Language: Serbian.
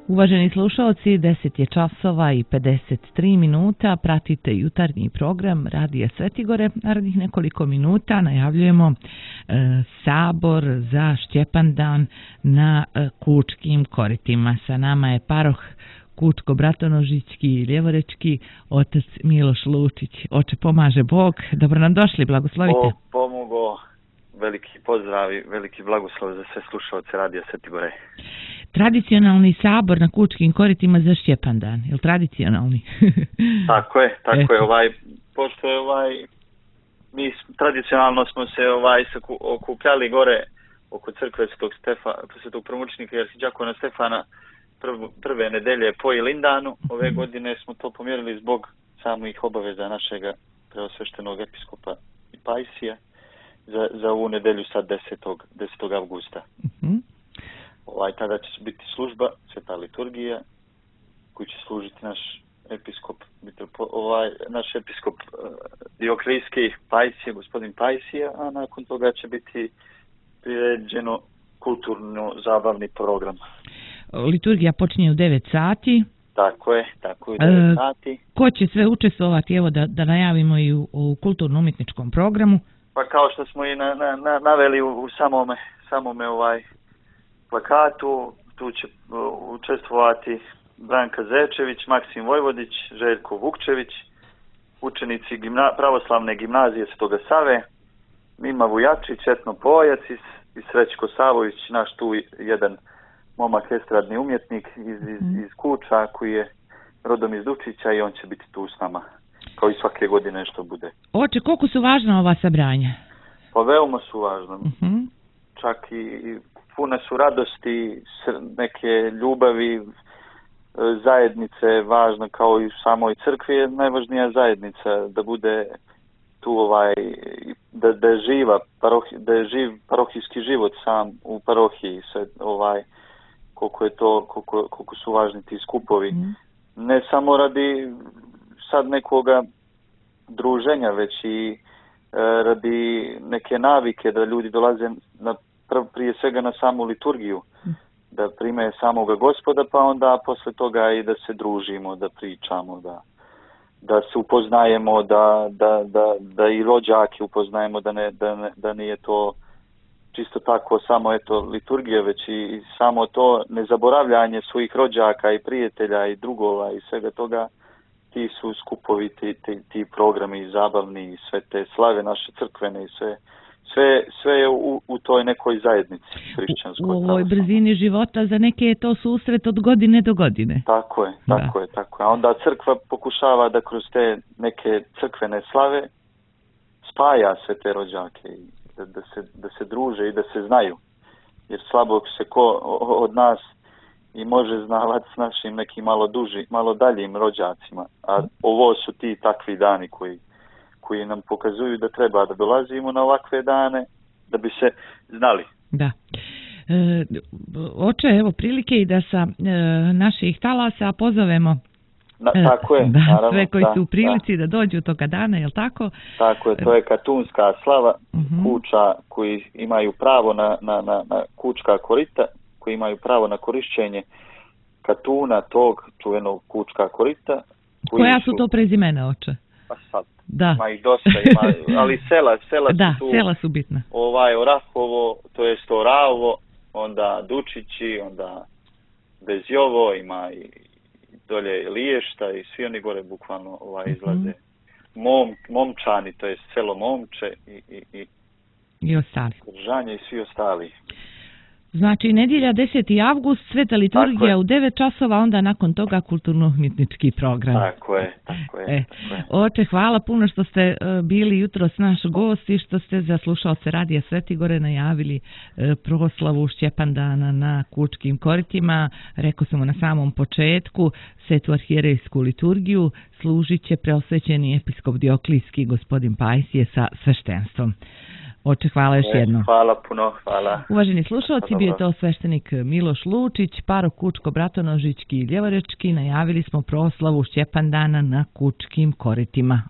Uvaženi slušalci, 10 je časova i 53 minuta, pratite jutarnji program Radija Svetigore. Narednih nekoliko minuta najavljujemo sabor za Šćepandan na Kučkim koritima. Sa nama je paroh Kučko-Bratonožićki i Ljevorečki, otac Miloš Lučić. Oče, pomaže Bog. Dobro nam došli, blagoslovite. Pomogo, veliki pozdrav i veliki blagoslov za sve slušalce Radija Svetigore. Tradicionalni sabor na Kučkim koritima za Šćepandan, je li tradicionalni? Tako je. Pošto je mi tradicionalno smo se okupljali gore oko crkve Svetog Promučnika i arhiđakona Stefana prve nedelje po Ilindanu. Ove godine smo to pomjerili zbog samih obaveza našega preosveštenog episkopa Pajsija za ovu nedelju sad 10. avgusta. Tada će biti služba, sveta liturgija, koju će služiti naš episkop Dioklijski Pajsije, gospodin Pajsija, a nakon toga će biti priređeno kulturno-zabavni program. Liturgija počinje u 9 sati. Tako je, u 9 sati. Ko će sve učestvovati, evo da najavimo i u kulturno-umjetničkom programu? Pa kao što smo i naveli u samome plakatu, tu će učestvovati Branka Zečević, Maksim Vojvodić, Željko Vukčević, učenici pravoslavne gimnazije Svetoga Save, Mima Vujačić, Etno Pojac i Srećko Savović, naš tu jedan momak estradni umjetnik iz Kuča koji je rodom iz Dučića i on će biti tu s nama, kao i svake godine što bude. Oče, koliko su važna ova sabranja? Pa veoma su važna. Čak i pune su radosti, neke ljubavi, zajednice je važna, kao i u samoj crkvi je najvažnija zajednica, da bude tu da je živ parohijski život sam u parohiji, sve koliko su važni ti skupovi. Ne samo radi sad nekoga druženja, već i radi neke navike da ljudi dolaze prije svega na samu liturgiju, da prime samoga Gospoda, pa onda posle toga i da se družimo, da pričamo, da se upoznajemo, da i rođake upoznajemo, da nije to čisto tako samo liturgija, već i samo to nezaboravljanje svojih rođaka i prijatelja i drugova i svega toga. Ti su skupovi, ti programi zabavni i sve te slave naše crkvene i sve je u toj nekoj zajednici hrišćanskoj. U ovoj brzini života za neke je to susret od godine do godine. Tako je. A onda crkva pokušava da kroz te neke crkvene slave spaja sve te rođake i da se druže i da se znaju. Jer slabo se ko od nas i može znavati s našim nekim malo daljim rođacima. A ovo su ti takvi dani koji nam pokazuju da treba da dolazimo na ovakve dane, da bi se znali. Da. Oče, evo prilike i da sa naših talasa pozovemo tako je, naravno, sve koji su u prilici da dođu toga dana, je li tako? Tako je, to je katunska slava kuća koji imaju pravo na kučka korita, koji imaju pravo na korišćenje katuna tog čuvenog kučka korita. Koja su to prezimena, oče? Pa sad, da. Ima ih dosta, ali sela da, su tu. Sela su bitna. Orahovo, to je Oravovo, onda Dučići, onda Bezjovo, ima i dolje Liješta i svi oni gore bukvalno izlaze. Momčani, to je selo Momče i ostali. Držanje i svi ostali. Znači, nedjelja 10. avgust, sveta liturgija u 9 časova, onda nakon toga kulturno-umjetnički program. Tako je. Oče, hvala puno što ste bili jutros naš gost i što ste za slušalce Radija Svetigore najavili proslavu Šćepandana na Kučkim koritima. Rekao sam na samom početku, svetu arhijerejsku liturgiju služit će preosvećeni episkop Dioklijski gospodin Pajsije sa sveštenstvom. Oče, hvala još jednom. Hvala puno, hvala. Uvaženi slušalci, bio je to sveštenik Miloš Lučić, paroh Kučko-Bratonožićki i Ljevorečki. Najavili smo proslavu Šćepandana na Kučkim koritima.